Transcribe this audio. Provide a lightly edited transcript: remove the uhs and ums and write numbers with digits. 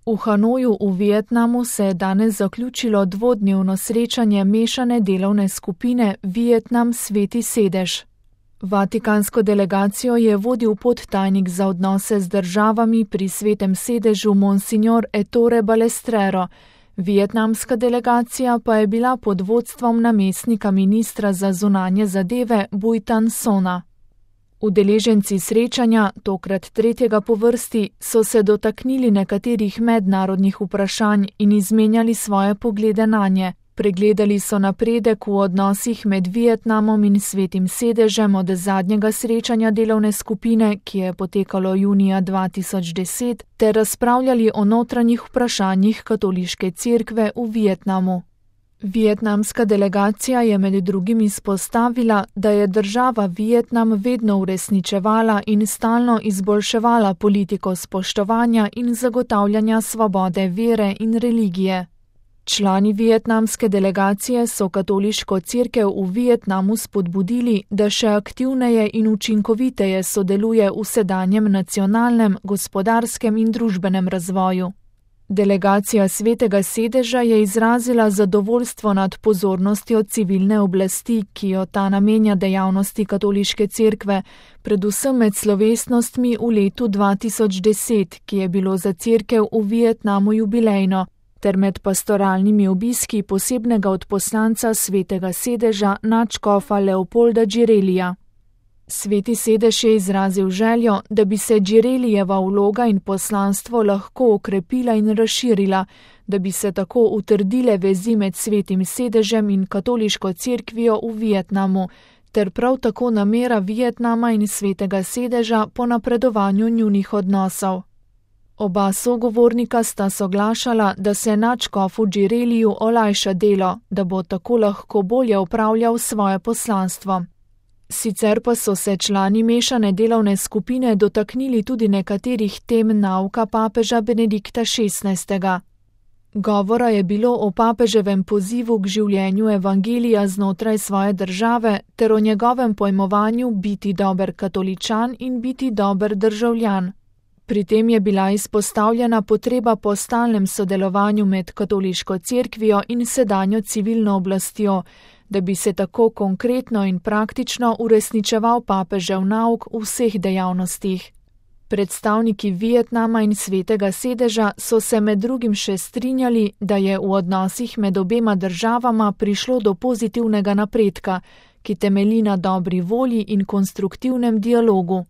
V Hanoju v Vietnamu se je danes zaključilo dvodnevno srečanje mešane delovne skupine Vietnam Sveti sedež. Vatikansko delegacijo je vodil podtajnik za odnose z državami pri Svetem sedežu Monsignor Ettore Balestrero. Vietnamska delegacija pa je bila pod vodstvom namestnika ministra za zunanje zadeve Bui Thanh Sona. Udeleženci srečanja, tokrat tretjega po vrsti, so se dotaknili nekaterih mednarodnih vprašanj in izmenjali svoje poglede nanje. Pregledali so napredek v odnosih med Vietnamom in Svetim sedežem od zadnjega srečanja delovne skupine, ki je potekalo junija 2010, ter razpravljali o notranjih vprašanjih katoliške cerkve v Vietnamu. Vietnamska delegacija je med drugim izpostavila, da je država Vietnam vedno uresničevala in stalno izboljševala politiko spoštovanja in zagotavljanja svobode vere in religije. Člani vietnamske delegacije so katoliško cerkev v Vietnamu spodbudili, da še aktivneje in učinkoviteje sodeluje v sedanjem nacionalnem, gospodarskem in družbenem razvoju. Delegacija Svetega sedeža je izrazila zadovoljstvo nad pozornostjo civilne oblasti, ki jo ta namenja dejavnosti katoliške cerkve, predvsem med slovesnostmi v letu 2010, ki je bilo za cerkev v Vietnamu jubilejno, ter med pastoralnimi obiski posebnega odposlanca Svetega sedeža nadškofa Leopolda Džirelija. Sveti sedež je izrazil željo, da bi se Džirelijeva vloga in poslanstvo lahko okrepila in razširila, da bi se tako utrdile vezi med Svetim sedežem in katoliško cerkvijo v Vietnamu, ter prav tako namera Vietnama in Svetega sedeža po napredovanju njunih odnosov. Oba sogovornika sta soglašala, da se nadškofu Džireliju olajša delo, da bo tako lahko bolje upravljal svoje poslanstvo. Sicer pa so se člani mešane delovne skupine dotaknili tudi nekaterih tem nauka papeža Benedikta XVI. Govora je bilo o papeževem pozivu k življenju evangelija znotraj svoje države ter o njegovem pojmovanju biti dober katoličan in biti dober državljan. Pri tem je bila izpostavljena potreba po stalnem sodelovanju med katoliško cerkvijo in sedanjo civilno oblastjo, da bi se tako konkretno in praktično uresničeval papežev nauk v vseh dejavnostih. Predstavniki Vietnama in Svetega sedeža so se med drugim še strinjali, da je v odnosih med obema državama prišlo do pozitivnega napredka, ki temelji na dobri volji in konstruktivnem dialogu.